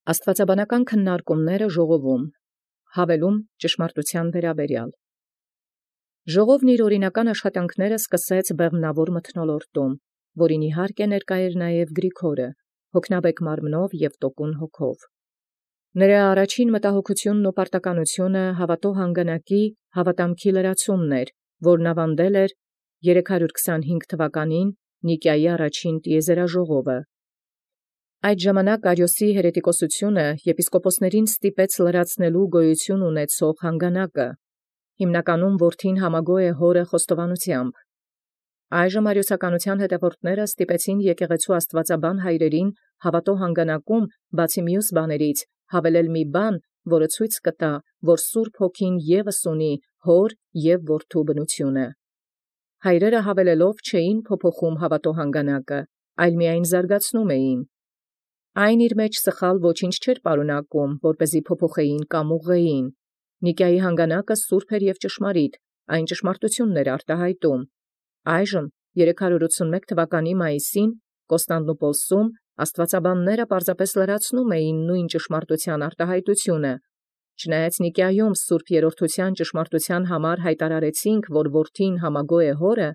Աստուածաբանական քննարկումները ժողովում հավելում ճշմարտութեան վերաբերյալ ժողովն իր օրինական աշխատանքները սկսեց բեղմնավոր մթնոլորտում, որին իհարկե ներկայ էր նաև Գրիգորը, հոգնաբեկ մարմնով և տոկուն հոգով։ Նրա առաջին մտահոգությունն ու պարտականությունը հավատո հանգանակի հավատամքի լրացումն էր, որն ավանդել էր 325 թվականին Նիկիայի առաջին տիեզերաժողովը։ Այդ ժամանակ Արիոսի հերետիկոսությունը եպիսկոպոսներին ստիպեց լրացնելու գոյություն ունեցող հանգանակը, հիմնականում որդին համագոյ է հորը խոստովանությամբ։ Այժմ արիոսականության հետևորդները ստիպեցին եկեղեցու աստվածաբան հայրերին հավատո հանգանակում, բացի մյուս բաներից, հավելել մի բան, որը ցույց կտա, որ Սուրբ Հոգին ևս ունի հոր և որդու բնությունը։ Հայրերը հավելելով չէին փոփոխում հավատո հանգանակը, այլ միայն զարգացնում էին։ Այն իր մեջ սխալ ոչինչ չէր պարունակում, որպեսզի փոփոխեին կամ ուղղեին։ Նիկիայի հանգանակը սուրբ էր և ճշմարիտ, այն ճշմարտությունն էր արտահայտում։ Այժմ 381 թվականի մայիսին Կոստանդնուպոլսում աստվածաբանները պարզապես լրացնում էին նույն ճշմարտության արտահայտությունը։ Չնայած Նիկիայում Սուրբ Երրորդության ճշմարտության համար հայտարարեցինք, որ որդին համագոյ է հորը,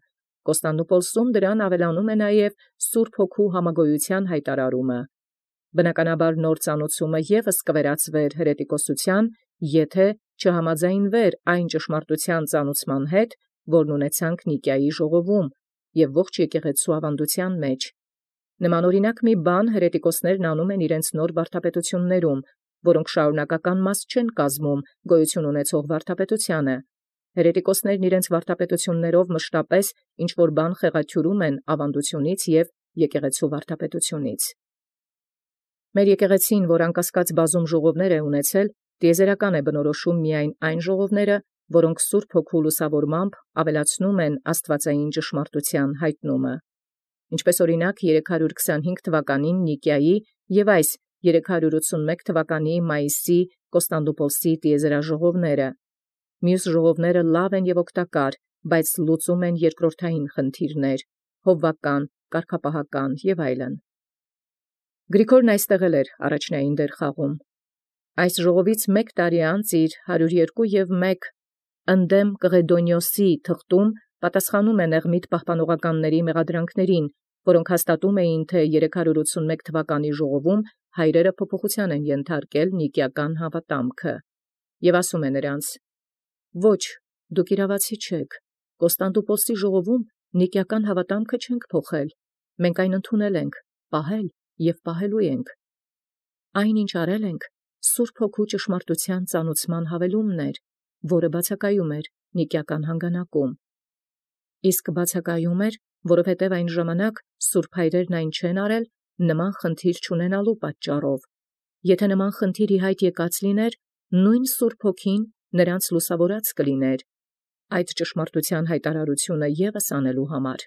Կոստանդնուպոլսում դրան ավելանում է նաև Սուրբ Հոգու համագոյության հայտարարումը։ Բնականաբար նոր ծանուցումը ևս կվերածվեր հերետիկոսության, եթե չհամաձայնվեր այն ճշմարտության ծանուցման հետ, որն ունեցանք Նիկիայի ժողովում և ողջ եկեղեցու ավանդության մեջ։ Նման օրինակ մի բան հերետիկոսներն անում են իրենց նոր վարդապետություններում, որոնք շարունակական մաս չեն կազմում գոյություն ունեցող վարդապետությանը։ Հերետիկոսներն իրենց վարդապետություններով մշտապես ինչ-որ բան խեղաթյուրում են ավանդությունից և եկեղեցու վարդապետությունից։ Մեր եկեղեցին, որ անկասկած բազում ժողովներ է ունեցել, տիեզերական է բնորոշում միայն այն ժողովները, որոնք Սուրբ Հոգու լուսավորմամբ ավելացնում են աստվածային ճշմարտության հայտնումը։ Ինչպես օրինակ 325 թվականին Նիկիայի և այս 381 թվականի մայիսի Կոստանդնուպոլսի տիեզերաժողովները։ Մյուս ժողովները լավ են և օգտակար, բայց լուծում են երկրորդային խնդիրներ, հովվական, կարգապահական և այլն։ Գրիգորն այստեղ էլ էր առաջնային դեր խաղում։ Այս ժողովից մեկ տարի անց իր 102 ընդդեմ Կղեդոնիոսի թղթում պատասխանում է Նեղմիտ պահպանողականների մեղադրանքներին, որոնք հաստատում էին, թե 381 թվականի ժողովում հայրերը փոփոխության են ենթարկել նիկիական հավատամքը, և ասում է նրանց. «Ոչ, դուք իրավացի չեք, Կոստանդնուպոլսի ժողովում նիկիական հավատամքը չենք փոխել, մենք այն ընդունել ենք, պահել և պահելու ենք։ Այն, ինչ արել ենք, Սուրբ Հոգու ճշմարտության ծանուցման հավելումն էր, որը բացակայում էր նիկիական հանգանակում։ Իսկ բացակայում էր, որովհետև այն ժամանակ սուրբ հայրերն այն չեն արել նման խնդիր չունենալու պատճառով։ Եթե նման խնդիր ի հայտ եկած լիներ, նույն Սուրբ Հոգին նրանց լուսավորած կլիներ այդ ճշմարտության հայտարարությունը ևս անելու համար»։